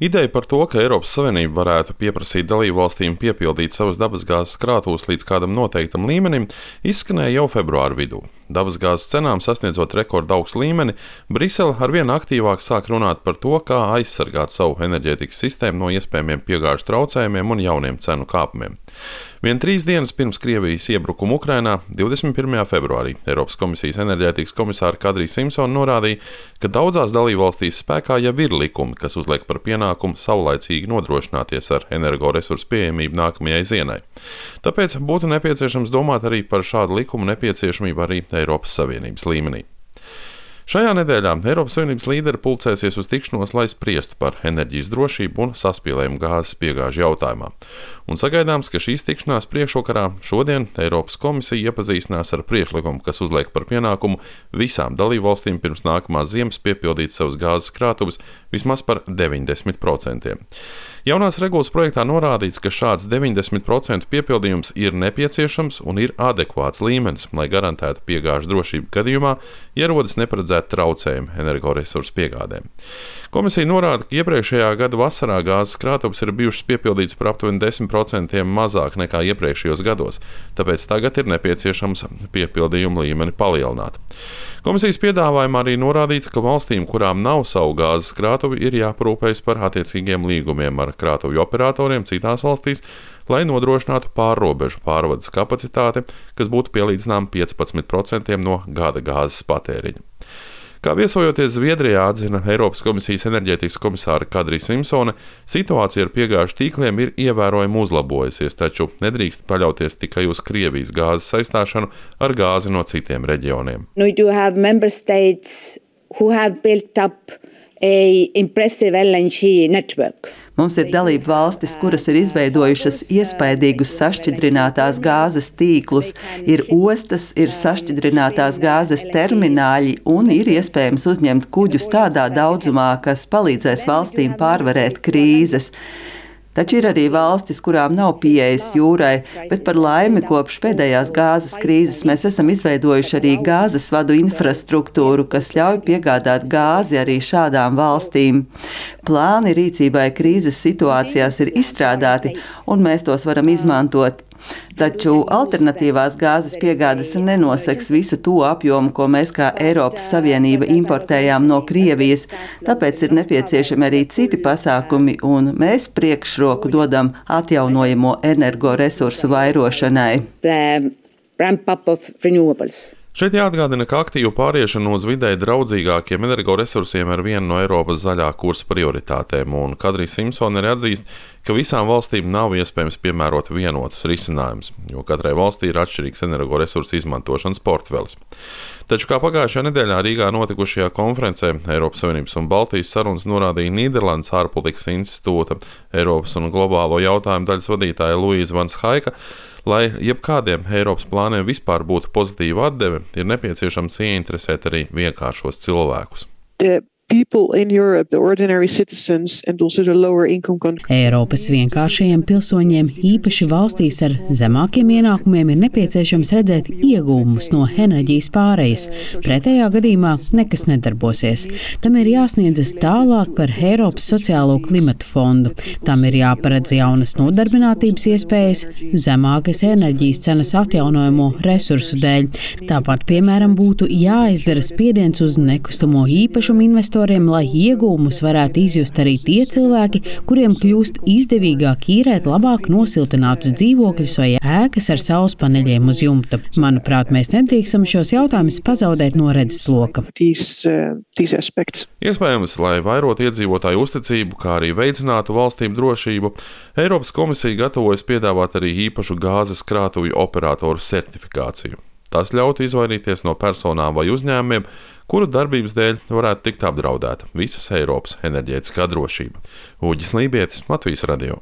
Ideja par to, ka Eiropas Savienība varētu pieprasīt dalībvalstīm piepildīt savas dabasgāzes krātuves līdz kādam noteiktam līmenim, izskanēja jau februāra vidū. Dabasgāzes cenām sasniedzot rekorda augstu līmeni, Brisele arvien aktīvāk sāk runāt par to, kā aizsargāt savu enerģētikas sistēmu no iespējamiem piegāžu traucējumiem un jauniem cenu kāpumiem. Vien 3 dienas pirms Krievijas iebrukuma Ukrainā, 21. februārī, Eiropas komisijas enerģētikas komisāra Kadrija Simpsone norādīja, ka daudzās dalībvalstīs spēkā jau ir likumi, kas uzliek par pienākumu saulaicīgi nodrošināties ar energoresursu pieejamību nākamajai zienai. Tāpēc būtu nepieciešams domāt arī par šādu likumu nepieciešamību arī Eiropas Savienības līmenī. Šajā nedēļā Eiropas Savienības līderi pulcēsies uz tikšanos, lai spriestu par enerģijas drošību un saspīlējumu gāzes piegāžu jautājumā. Un sagaidāms, ka šīs tikšanās priekšvakarā šodien Eiropas komisija iepazīstinās ar priekšlikumu, kas uzliek par pienākumu visām dalībvalstīm pirms nākamās ziemas piepildīt savas gāzes krātuves vismaz par 90%. Jaunās regulas projektā norādīts, ka šāds 90% piepildījums ir nepieciešams un ir adekvāts līmenis, lai garantētu piegāžu drošību gadījumā, ja rodas neparedzēti traucējumi energoresursu piegādēm. Komisija norāda, ka iepriekšējā gada vasarā gāzes krātuves ir bijušas piepildītas par aptuveni 10% mazāk nekā iepriekšējos gados, tāpēc tagad ir nepieciešams piepildījumu līmeni palielināt. Komisijas piedāvājumā arī norādīts, ka valstīm, kurām nav savu gāzes krātuvi, ir jāparūpējas par attiecīgiem līgumiem ar krātuvju operatoriem citās valstīs, lai nodrošinātu pārrobežu pārvades kapacitāti, kas būtu pielīdzināma 15% no gada gāzes patēriņa. Kā viesojoties Zviedrijā, atzina Eiropas komisijas enerģētikas komisāra Kadrija Simpsone, situācija ar piegāžu tīkliem ir ievērojami uzlabojusies, taču nedrīkst paļauties tikai uz Krievijas gāzes saistāšanu ar gāzi no citiem reģioniem. Mums ir dalību valstis, kuras ir izveidojušas iespaidīgus sašķidrinātās gāzes tīklus, ir ostas, ir sašķidrinātās gāzes termināļi un ir iespējams uzņemt kuģus tādā daudzumā, kas palīdzēs valstīm pārvarēt krīzes. Taču ir arī valstis, kurām nav pieejas jūrai, bet par laimi kopš pēdējās gāzes krīzes mēs esam izveidojuši arī gāzes vadu infrastruktūru, kas ļauj piegādāt gāzi arī šādām valstīm. Plāni rīcībai krīzes situācijās ir izstrādāti, un mēs tos varam izmantot. Taču alternatīvās gāzes piegādes nenoseks visu to apjomu, ko mēs kā Eiropas Savienība importējām no Krievijas, tāpēc ir nepieciešami arī citi pasākumi, un mēs priekšroku dodam atjaunojamo energoresursu vairošanai. Šeit jāatgādina, ka aktīvu pāriešanu uz videi draudzīgākiem energoresursiem ir viena no Eiropas zaļā kursa prioritātēm, un Kadrija Simpsone arī atzīst, ka visām valstīm nav iespējams piemērot vienotus risinājumus, jo katrai valstī ir atšķirīgs energoresursu izmantošanas portfelis. Taču, kā pagājušajā nedēļā Rīgā notikušajā konferencē Eiropas Savienības un Baltijas sarunas norādīja Nīderlandes ārpolitikas institūta Eiropas un globālo jautājumu daļas vadītāja Luīza Van Schaika, lai jebkādiem Eiropas plāniem vispār būtu pozitīva atdeve, ir nepieciešams ieinteresēt arī vienkāršos cilvēkus. Eiropas vienkāršajiem pilsoņiem, īpaši valstīs ar zemākiem ienākumiem, ir nepieciešams redzēt iegūmus no enerģijas pārejas. Pretējā gadījumā nekas nedarbosies. Tam ir jāsniedzas tālāk par Eiropas sociālo klimata fondu. Tam ir jāparedz jaunas nodarbinātības iespējas, zemākas enerģijas cenas atjaunojamo resursu dēļ. Tāpat, piemēram, būtu jāizdara spiediens uz nekustamo īpašumu investoriem, lai iegūmus varētu izjust arī tie cilvēki, kuriem kļūst izdevīgāk īrēt labāk nosiltinātus dzīvokļus vai ēkas ar saules paneļiem uz jumta. Manuprāt, mēs nedrīkstam šos jautājumus pazaudēt no redzesloka. Iespējams, lai vairotu iedzīvotāju uzticību, kā arī veicinātu valstīm drošību, Eiropas komisija gatavojas piedāvāt arī īpašu gāzes krātuvju operatoru certifikāciju. Tas ļautu izvairīties no personām vai uzņēmumiem, kuru darbības dēļ varētu tikt apdraudēta visas Eiropas enerģētiskā drošība. Uģis Lībietis, Latvijas radio.